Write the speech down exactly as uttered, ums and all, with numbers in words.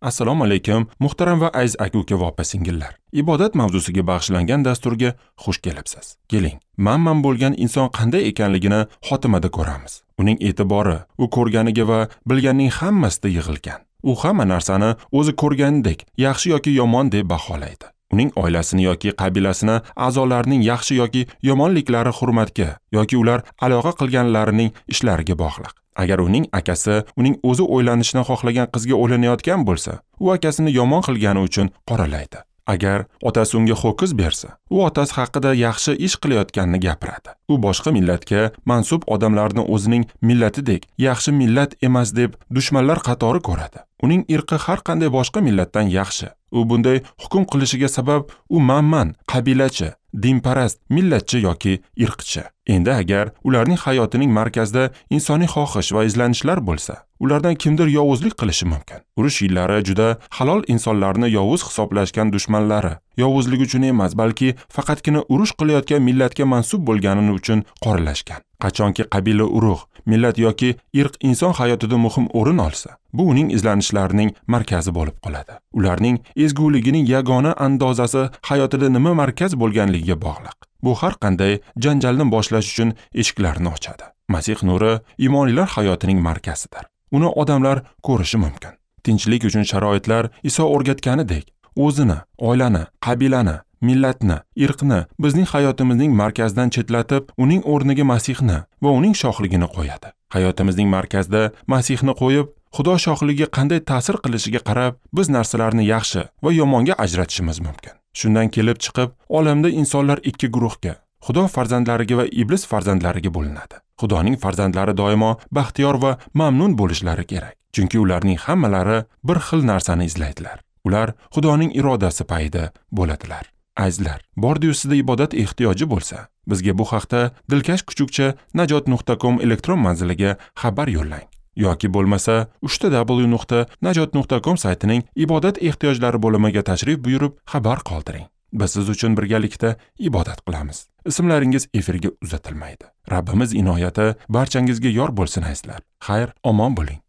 Assalomu alaykum, muhtaram va aziz aka-uka va opa-singillar. Ibodat mavzusiga bag'ishlangan dasturga xush kelibsiz. Keling, manman bo'lgan inson qanday ekanligini xotimada ko'ramiz. Uning e'tibori, u ko'rganiga va bilganining hammasida yig'ilgan. U hamma narsani o'zi ko'rganidek, yaxshi yoki yomon deb baholaydi. Uning oilasini yoki qabilasini a'zolarining yaxshi yoki yomonliklari hurmatga yoki ular aloqa qilganlarining ishlariga bog'liq. Agar uning akasi uning o'zi o'ylanishni xohlagan qizga o'ylanayotgan bo'lsa, u akasini yomon qilgani uchun qoralaydi. Agar otasi unga ho'kiz bersa, u otasi haqida yaxshi ish qilayotganini gapiradi. U boshqa millatga mansub odamlarni o'zining millatidek yaxshi millat emas deb dushmanlar qatori ko'radi. Uning irqi har qanday boshqa millatdan yaxshi. U bunday hukm qilishiga sabab u manman, qabilachi, dinparast, millatchi yoki irqchi. Endi agar ularning hayotining markazida insoniy xohish va izlanishlar bo'lsa, ulardan kimdir yovuzlik qilishi mumkin. Urush yillari juda halol insonlarni yovuz hisoblashgan dushmanlari yovuzlik uchun emas, balki faqatgina urush qilayotgan millatga mansub bo'lganini uchun qoralashgan. Qachonki qabila, urug', millat yoki irq inson hayotida muhim o'rin olsa, bu uning izlanishlarining markazi bo'lib qoladi. Ularning ezguligining yagona andozasi hayotida nima markaz bo'lganligiga bog'liq. Bu har qanday janjalni boshlash uchun eshiklarni ochadi. Masih nuri iymonlilar hayotining markazidir. Uni odamlar ko'rishi mumkin. Tinchlik uchun sharoitlar Iso o'rgatganidek, o'zini, oilani, qabilani, millatni, irqni bizning hayotimizning markazidan chetlatib, uning o'rniga Masihni va uning shohligini qo'yadi. Hayotimizning markazida Masihni qo'yib, Xudo shohligiga qanday ta'sir qilishiga qarab, biz narsalarni yaxshi va yomonga ajratishimiz mumkin. Shundan kelib chiqib, olamda insonlar ikki guruhga, Xudo farzandlariga va iblis farzandlariga bo'linadi. Xudoning farzandlari doimo baxtiyor va mamnun bo'lishlari kerak, chunki ularning hammalari bir xil narsani izlaydilar. Ular Xudoning irodasi payida bo'ladilar. Azizlar, bordi-yu sizda ibodat ehtiyoji bo'lsa, bizga bu haqda dilkash kuchukcha najot nuqta com elektron manziliga xabar yo'llang. Yoki bo'lmasa uchta w nuqta najot nuqta com saytining ibodat ehtiyojlari bo'limiga tashrif buyurib xabar qoldiring. Biz siz uchun birgalikda ibodat qilamiz. Ismlaringiz efirga uzatilmaydi. Rabbimiz inoyati barchangizga yor bo'lsin azizlar. Xayr, omon bo'ling.